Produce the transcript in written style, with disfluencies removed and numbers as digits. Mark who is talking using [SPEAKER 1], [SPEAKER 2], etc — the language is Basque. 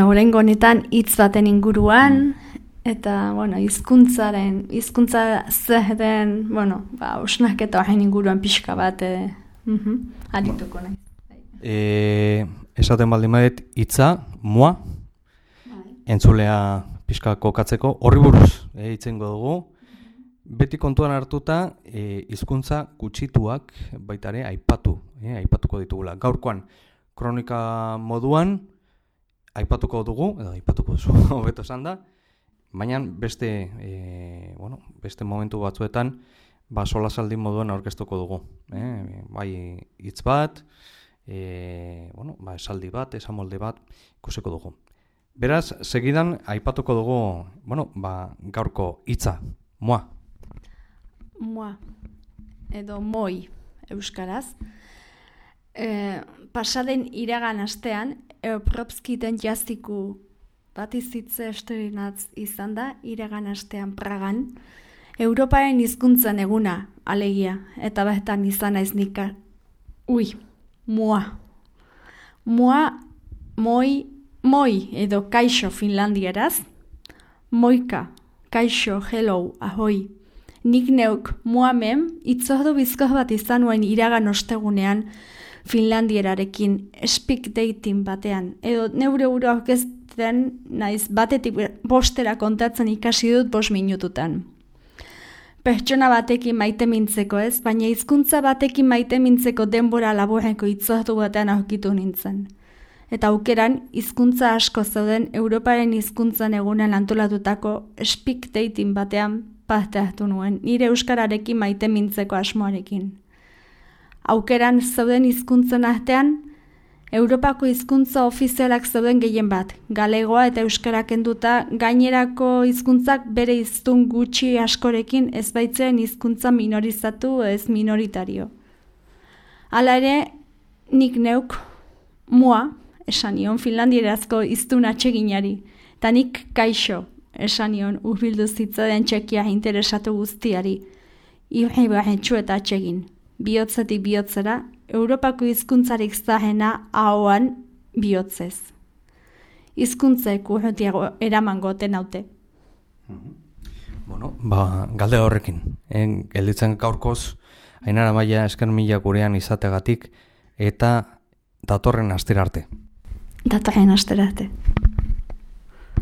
[SPEAKER 1] Oraingo honetan hitz baten inguruan, eta, hizkuntza zer den, osnaketa horren inguruan pixka bat arituko nahi.
[SPEAKER 2] Esaten baldin badet hitza, mua, entzulea pixka kokatzeko, horri buruz hitzengo dugu. Beti kontuan hartuta, hizkuntza gutxituak baitare aipatuko ditugula. Gaurkoan, kronika moduan, aipatuko dugu, edo aipatuko duzu, hobeto esan da, baina beste momentu batzuetan, solasaldi moduan aurkeztuko dugu. Bai hitz bat, esaldi bat, esamolde bat, ikusiko dugu. Beraz, segidan aipatuko dugu, gaurko hitza, mua.
[SPEAKER 1] Mua, edo moi, euskaraz. Pasaden iragan astean, Europropskiten jastiku bat izitze esterinatz izan da, iragan astean Pragan, Europaren hizkuntzan eguna, alegia, eta behetan izan naiz nika. Mua. Mua, moi edo kaixo finlandieraz, moika, kaixo, hello, ahoi. Nik neuk muamem itzordu bizkoz bat izan nuen iragan ostegunean finlandierarekin speak dating batean. Edo neure uro aurkezten naiz batetik bostera kontatzen ikasi dut 5 minututan. Pertsona batekin maite mintzeko ez, baina hizkuntza batekin maite mintzeko denbora laburreko itzordu batean aurkitu nintzen. Eta aukeran, hizkuntza asko zeuden Europaren hizkuntzan egunean antolatutako speak dating batean parte hartu nuen, nire euskararekin maite mintzeko asmoarekin. Aukeran zeuden hizkuntzen artean, Europako hizkuntza ofizialak zeuden gehien bat, galegoa eta euskara kenduta, gainerako hizkuntzak bere hiztun gutxi askorekin ez baitzen hizkuntza minorizatu ez minoritario. Hala ere, nik neuk mua esan nion finlandierazko hiztun atseginari, eta nik kaixo esan nion urbildu zitzaden txekia interesatu guztiari, irribarretxu eta atsegin. Bihotzetik bihotzera, Europako hizkuntzarik zahena ahoan bihotzez. Hizkuntzek urrutiago eraman goten haute.
[SPEAKER 2] Galde horrekin. Gelditzen gaurkoz, Ainara Maia esker mila gurean izategatik, eta datorren astera arte.
[SPEAKER 1] Datorren astera arte.